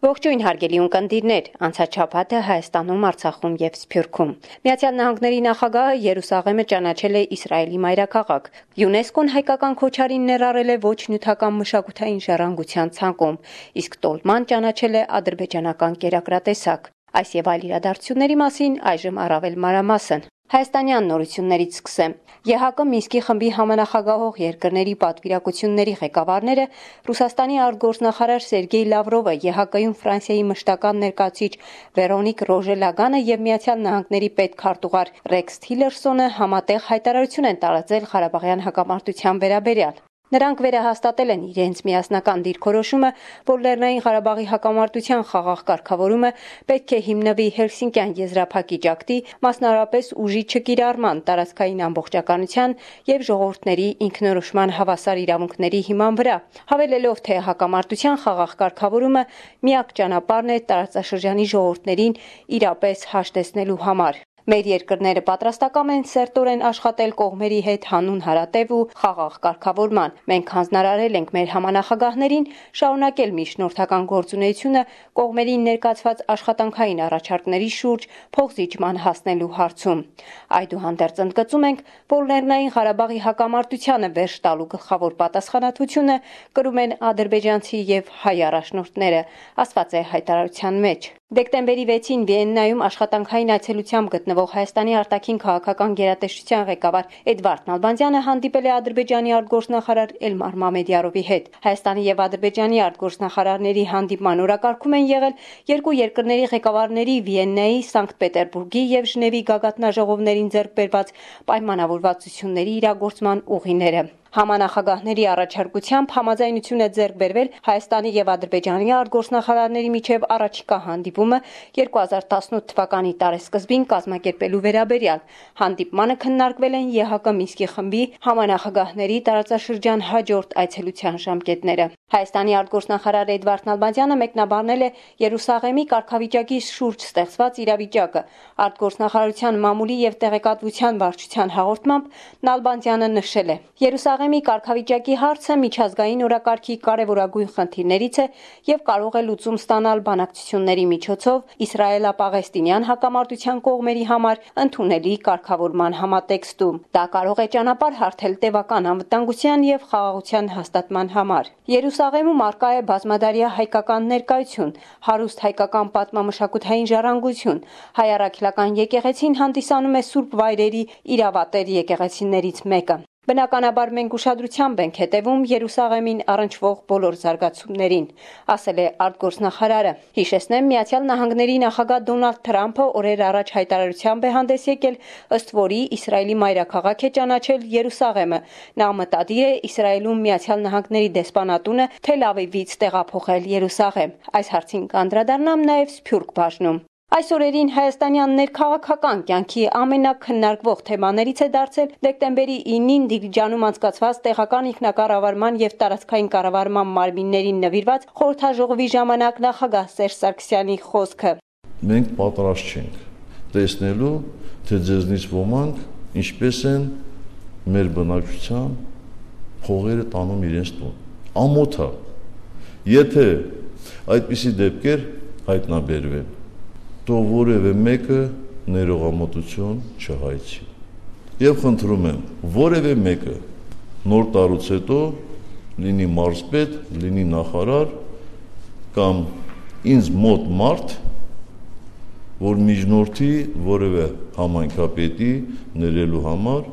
Ողջույն հարգելի ունկնդիրներ, անցած շաբաթը Հայաստանում, Արցախում եւ Սփյուռքում։ Միացյալ Նահանգների նախագահը Երուսաղեմը ճանաչել է Իսրայելի մայրաքաղաք։ ՅՈՒՆԵՍԿՕ-ն հայկական քոչարին ներառել է ոչ նյութական մշակութային ժառանգության ցանկում, իսկ տոլման ճանաչել է ադրբեջանական կերակրատեսակ։ Այս եւ այլ իրադարձությունների մասին այժմ առավել մանրամասն։ Հայաստանյան նորություններից սկսեմ։ ԵՀԿ Մինսկի խմբի համանախագահող երկրների պատվիրակությունների ղեկավարները Ռուսաստանի արտգործնախարար Սերգեյ Լավրովը, ԵՀԿ-ում Ֆրանսիայի մշտական ներկայացուցիչ Վերոնիկ Ռոժելագանը եւ Միացյալ Նահանգների պետքարտուղար Ռեքս Թիլերսոնը համատեղ հայտարարություն են տարածել Ղարաբաղյան հակամարտության վերաբերյալ։ Նրանք վերահաստատել են իրենց միասնական դիրքորոշումը, որ Լեռնային Ղարաբաղի հակամարտության խաղաղ կարգավորումը պետք է հիմնվի Հելսինկյան եզրափակիչ ակտի, մասնավորապես ուժի չկիրառման, տարածքային ամբողջականության եւ ժողովուրդների ինքնորոշման հավասար իրավունքների հիման վրա, հավելելով, թե հակամարտության խաղաղ կարգավորումը միակ ճանապարհն է տարածաշրջանի ժողովուրդներին իրապես հաշտեցնելու համար։ Մեր երկրները պատրաստակամ են սերտորեն աշխատել կողմերի հետ հանուն հարատև ու խաղաղ կարգավորման։ Մենք հանձնարարել ենք մեր համանախագահներին շարունակել միջնորդական գործունեությունը կողմերին ներկայացված աշխատանքային առաջարկների շուրջ փոխզիջման հասնելու հարցում։ Այդուհանդերձ ընդգծում ենք, որ Լեռնային Ղարաբաղի հակամարտությանը վերջ տալու գլխավոր պատասխանատվությունը կրում են ադրբեջանցի եւ հայ առաջնորդները, ասված է հայտարարության մեջ։ Դեկտեմբերի 6-ին Վիեննայում աշխատանքային այցելությամբ գտնվող Հայաստանի արտաքին քաղաքական գերատեսչության ղեկավար Էդվարդ Նալբանդյանը հանդիպել է Ադրբեջանի արտգործնախարար Էլմար Մամեդյարովի հետ։ Հայաստանի եւ Ադրբեջանի արտգործնախարարների հանդիպման օրակարգում են եղել երկու երկրների ղեկավարների Վիեննայի, Սանկտ Պետերբուրգի եւ Ժնևի գագաթնաժողովներին ձեռք բերված պայմանավորվածությունների իրագործման ուղիները։ Համանախագահների առաջարկությամբ համաձայնություն է ձեռք բերվել Հայաստանի եւ Ադրբեջանի արտգործնախարարների միջև առաջիկա հանդիպումը 2018 թվականի տարեսկզբին կազմակերպելու վերաբերյալ։ Հանդիպմանը քննարկվել են ԵՀԿ Մինսկի խմբի համանախագահների տարածաշրջան հաջորդ այցելության ժամկետները։ Հայաստանի արտգործնախարար Էդվարդ Նալբանդյանը մեկնաբանել է Երուսաղեմի կարգավիճակի շուրջ ստեղծված իրավիճակը։ Արտգործնախարարության մամուլի եւ տեղեկատվության վարչության հաղորդմամբ Նալբանդյանը նշել է. Երուսաղեմի կարգավիճակի հարցը միջազգային օրակարգի կարևորագույն խնդիրներից է եւ կարող է լուծում ստանալ բանակցությունների միջոցով Իսրայելա-Պաղեստինյան հակամարտության կողմերի համար ընդունելի կարգավորման համատեքստում։ Դա կարող է ճանապարհ հարթել տևական անվտանգության եւ խաղաղության հաստատման համար։ Երուսաղեմում առկա է բազմադարյա հայկական ներկայություն, հարուստ հայկական պատմամշակութային ժառանգություն։ Հայ առաքելական եկեղեցին հանդիսանում է սուրբ վայրերի իրավատեր եկեղեցիներից մեկը։ Բնականաբար մենք ուշադրությամբ ենք հետևում Երուսաղեմին առնչվող բոլոր զարգացումներին, ասել է արտգործնախարարը։ Հիշեցնեմ, Միացյալ Նահանգների նախագահ Դոնալդ Թրամփը օրեր առաջ հայտարարությամբ է հանդես եկել, ըստ որի Իսրայելի մայրաքաղաք է ճանաչել Երուսաղեմը։ Նա մտադիր է Իսրայելում Միացյալ Նահանգների դեսպանատունը Թել Ավիվից տեղափոխել Երուսաղեմ։ Այս հարցին կանդրադառնամ նաև Սփյուռք բաժնում։ Այս օրերին հայաստանյան ներքաղաքական կյանքի ամենաքննարկվող թեմաներից է դարձել դեկտեմբերի 9-ին Դիլիջանում անցկացված տեղական ինքնակառավարման եւ տարածքային կառավարման մարմիններին նվիրված խորհրդաժողովի ժամանակ նախագահ Սերժ Սարգսյանի խոսքը։ Մենք պատրաստ չենք տեսնելու, թե ձեզնից ոմանք ինչպես են մեր բնակչության փողերը տանում իրենց տուն։ Ամոթ է, եթե այդպիսի դեպքեր հայտնաբերվեն, թող որևէ մեկը ներողամտություն չհայցի։ Եվ խնդրում եմ, որևէ մեկը նոր տարուց հետո լինի մարզպետ, լինի նախարար կամ ինձ մոտ մարդ, որ միջնորդի որևէ համայնքապետի ներելու համար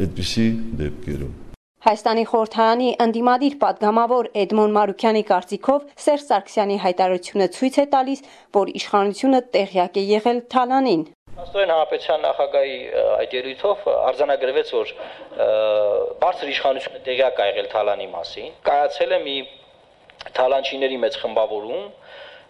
այդպիսի դեպքերում։ Հայաստանի խորհրդարանի ընդդիմադիր պատգամավոր Էդմոն Մարուքյանի կարծիքով Սերժ Սարգսյանի հայտարարությունը ցույց է տալիս, որ իշխանությունը տեղյակ է եղել թալանին։ Աստորեն հանրապետության նախագահի այդ ելույթով արձանագրվեց, որ բարձր իշխանությունը տեղյակ է եղել թալանի մասին, կայացել է մի թալանչիների մեծ խմբավորում,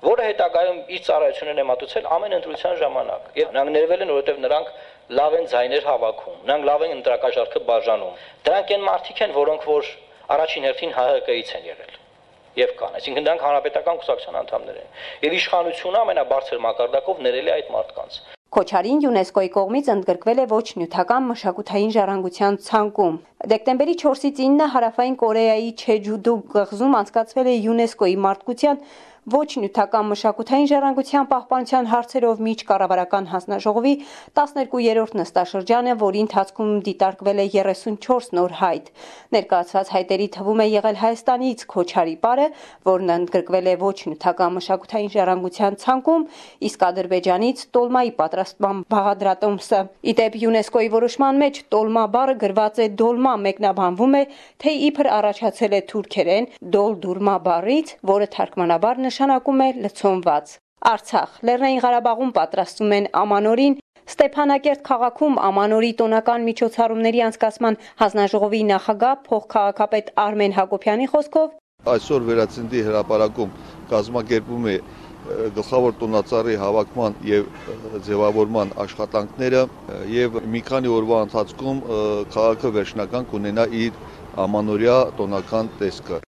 որը հետագայում իր ծառայություններն է մատուցել ամեն ընտրության ժամանակ։ Եվ նրանք ներվել են, որովհետև նրանք լավ են ձայներ հավաքում, նրանք լավ են ընտրակաշառքը բաժանում։ Դրանք այն մարդիկ են, որոնք որ առաջին հերթին ՀՀԿ-ից են եղել եւ կան, այսինքն դրանք հանրապետական կուսակցության անդամներ են։ Եվ իշխանությունը ամենաբարձր մակարդակով ներել է այդ մարդկանց։ Քոչարին ՅՈՒՆԵՍԿՕ-ի կողմից ընդգրկվել է ոչ նյութական մշակութային ժառանգության ցանկում։ Դեկտեմբերի 4-ից 9-ը Հարավային Կորեայի Չեջուդու կղզում անցկացվել է ՅՈՒՆԵՍԿՕ-ի մարդկության, ոչ նյութական մշակութային ժառանգության պահպանության հարցերով միջկառավարական հանձնաժողովի 12-րդ նստաշրջանը, որի ընթացքում դիտարկվել է 34 նոր հայտ։ Ներկայացված հայտերի թվում է եղել Հայաստանից Քոչարի պարը, որն ընդգրկվել է ոչ նյութական մշակութային ժառանգության ցանկում, իսկ Ադրբեջանից տոլմայի պատրաստման բաղադրատոմսը։ Ի դեպ ՅՈՒՆԵՍԿՕ-ի որոշման մեջ տոլմա բառը գրված է դոլմա, մեկնաբանվում է, թե իբր առաջացել է թուրքերեն դոլդուրմա բառից, որը թարգմանաբար նշանակում է լցոնված։ Արցախ, Լեռնային Ղարաբաղում պատրաստում են Ամանորին։ Ստեփանակերտ քաղաքում Ամանորի տոնական միջոցառումների անցկացման հանձնաժողովի նախագահ փոխքաղաքապետ Արմեն Հակոբյանի խոսքով այսօր Վերածննդի հրապարակում կազմակերպում է գլխավոր տոնածառի հավաքման եւ ձևավորման աշխատանքները եւ մի քանի օրվա ընթացքում քաղաքը վերջնական կունենա իր ամանորյա տոնական տեսքը։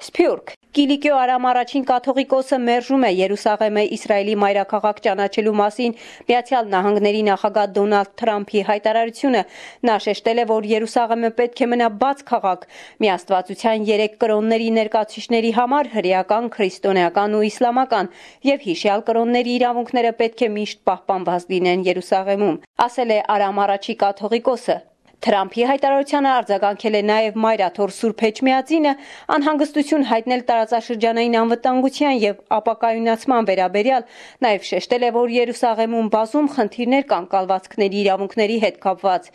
Սփյուռք Կիլիկիո Արամ առաջին կաթողիկոսը մերժում է Երուսաղեմը Իսրայելի մայրաքաղաք ճանաչելու մասին Միացյալ Նահանգների նախագահ Դոնալդ Թրամփի հայտարարությունը։ Նա շեշտել է, որ Երուսաղեմը պետք է մնա բաց քաղաք միաստվածության 3 կրոնների ներկայացուցիչների համար՝ հրեական, քրիստոնեական ու իսլամական, եւ հիշյալ կրոնների իրավունքները պետք է միշտ պահպանված լինեն Երուսաղեմում, ասել է Արամ առաջի կաթողիկոսը։ Թրամփի հայտարարությանը արձագանքել է նաև Մայրաթոր Սուրբ Էջմիածինը, անհանգստություն հայտնել տարածաշրջանային անվտանգության եւ ապակայունացման վերաբերյալ, նաև շեշտել է, որ Երուսաղեմում բազում խնդիրներ կան կալվածքների իրավունքների հետ կապված։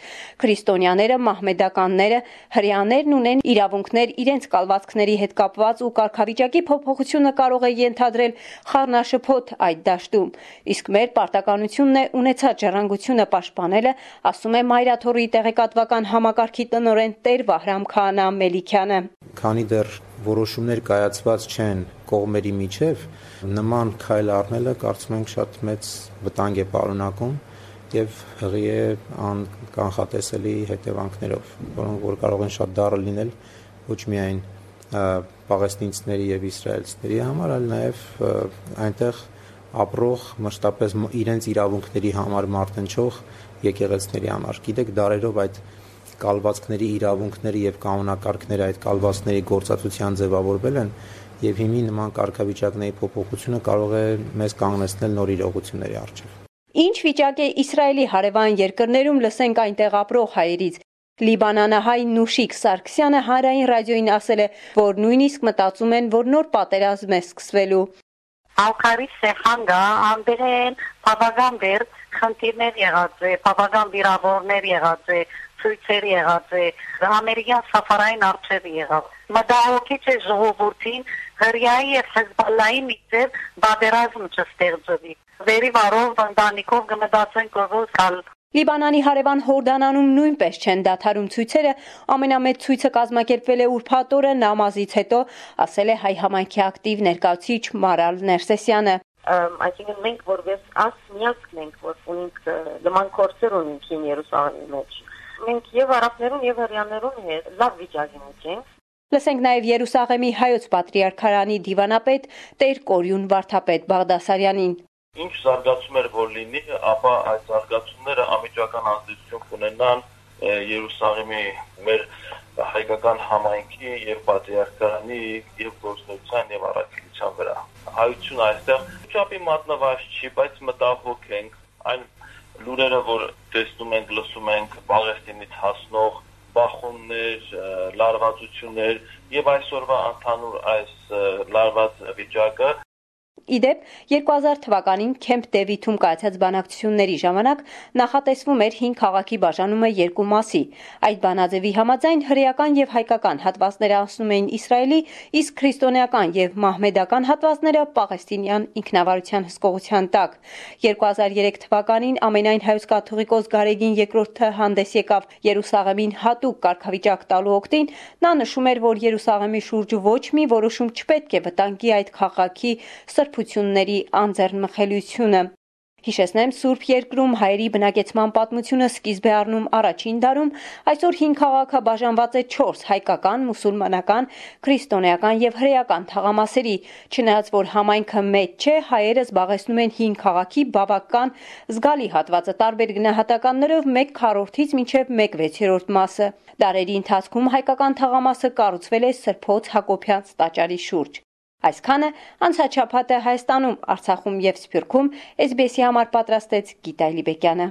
Քրիստոնյաները, մահմեդականները, հրեաներն ունեն իրավունքներ իրենց կալվածքների հետ կապված ու կարգավիճակի փոփոխությունը կարող է ենթադրել խառնաշփոթ այդ դաշտում։ Իսկ մեր պարտականությունն է ունեցած ժառանգությունը պաշտպանելը, ասում է Մայրաթորի տեղեկատվական համակարգի տնօրեն Տեր Վահրամ Քահանա Մելիքյանը։ Քանի դեռ որոշումներ կայացված չեն կողմերի միջև, նման քայլ առնելը կարծում ենք շատ մեծ վտանգ է պարունակում եւ հղի է անկանխատեսելի հետևանքներով, որոնք որ կարող են շատ դառը լինել ոչ միայն պաղեստինցիների եւ իսրայելցիների համար, այլ նաեւ այնտեղ ապրող մշտապես իրենց իրավունքների համար մարտնչող եկեղեցիների համար։ Գիտեք, դարերով այդ կալվածքների իրավունքները եւ կանոնակարգները այդ կալվածքների գործածության ձևավորվել են եւ հիմի նման կարգավիճակների փոփոխությունը կարող է մեզ կանգնեցնել նոր իրողությունների առջեւ։ Ինչ վիճակ է Իսրայելի հարևան երկրներում, լսենք այնտեղ ապրող հայերից։ Լիբանանահայ Նուշիկ Սարգսյանը Հանրային ռադիոյին ասել է, որ նույնիսկ մտածում են, որ նոր պատերազմ է սկսվելու։ Ալկարի սեխանգա ամբերեն բավական դեր խնդիրներ եղած է, բավական վիրավորներ եղած է, ցույցեր եղած է, ամերիկյան սաֆարային արժեր եղավ։ Մտահոգիչ է ժողովրդին հրյայի եւ Հեզբալլայի միջև պատերազմ չստեղծվի։ Վերի վարով ընտանիքով կմտածեն կողոս կալ։ Լիբանանի հարևան Հորդանանում նույնպես չեն դադարում ցույցերը, ամենամեծ ցույցը կազմակերպվել է ուրբաթ օրը նամազից հետո, ասել է հայ համայնքի ակտիվ ներկայացուցիչ Մարալ Ներսեսյանը։ Այսինքն մենք որպես միասին ենք, որ ունենք նման կորցեր ունենք Երուսաղեմի մեջ։ Մենք եւ արաբներուն եւ հրեաներուն հետ լավ վիճակի մեջ ենք։ Լսենք նաև Երուսաղեմի հայոց պատրիարքարանի դիվանապետ Տեր Կորյուն Վարդապետ Բաղդասարյանին։ Ինչ զարգացումներ որ լինի, ապա այդ զարգացումները անմիջական ազդեցություն կունենան Երուսաղեմի մեր հայկական համայնքի եւ պատրիարքարանի եւ գործնության եւ առաքելության վրա։ Հայությունը այստեղ չափի մատնված չի, բայց մտահոգ ենք այն լուրերը, որ տեսնում ենք, լսում ենք Պաղեստինից հասնող բախումներ, լարվածություններ եւ այսօրվա ընդհանուր այս լարված վիճակը։ Իդեպ 2000 թվականին Քեմփ Դեվիթում կայացած բանակցությունների ժամանակ նախատեսվում էր 5 քաղաքի բաժանումը երկու մասի։ Այդ բանաձևի համաձայն հրեական եւ հայկական հատվածները անցնում էին Իսրայելի, իսկ քրիստոնեական եւ մահմեդական հատվածները Պաղեստինյան ինքնավարության հսկողության տակ։ 2003 թվականին ամենայն հայոց կաթողիկոս Գարեգին II-ը հանդես եկավ Երուսաղեմին հատուկ կարգավիճակ տալու օգտին։ Նա նշում էր, որ Երուսաղեմի շուրջ ոչ մի որոշում չպետք է վտանգի այդ քաղաքի սրբությունների անձեռնմխելիությունը։ Հիշեցնեմ, Սուրբ Երկրում հայերի բնակեցման պատմությունը սկիզբ է առնում առաջին դարում, այսօր 5 քաղաքը բաժանված է 4 հայկական, մուսուլմանական, քրիստոնեական եւ հրեական թաղամասերի։ Չնայած որ համայնքը մեծ չէ, հայերը զբաղեցնում են 5 քաղաքի բավական զգալի հատվածը տարբեր գնահատականներով 1/4-ից մինչև 1/6 մասը։ Դարերի ընթացքում հայկական թաղամասը կառուցվել է Սրբոց Հակոբյանց տաճարի շուրջ։ Այսքանը անցած շաբաթ Հայաստանում, Արցախում եւ Սփյուռքում SBS-ի համար պատրաստեց Գիտա Լիբեկյանը։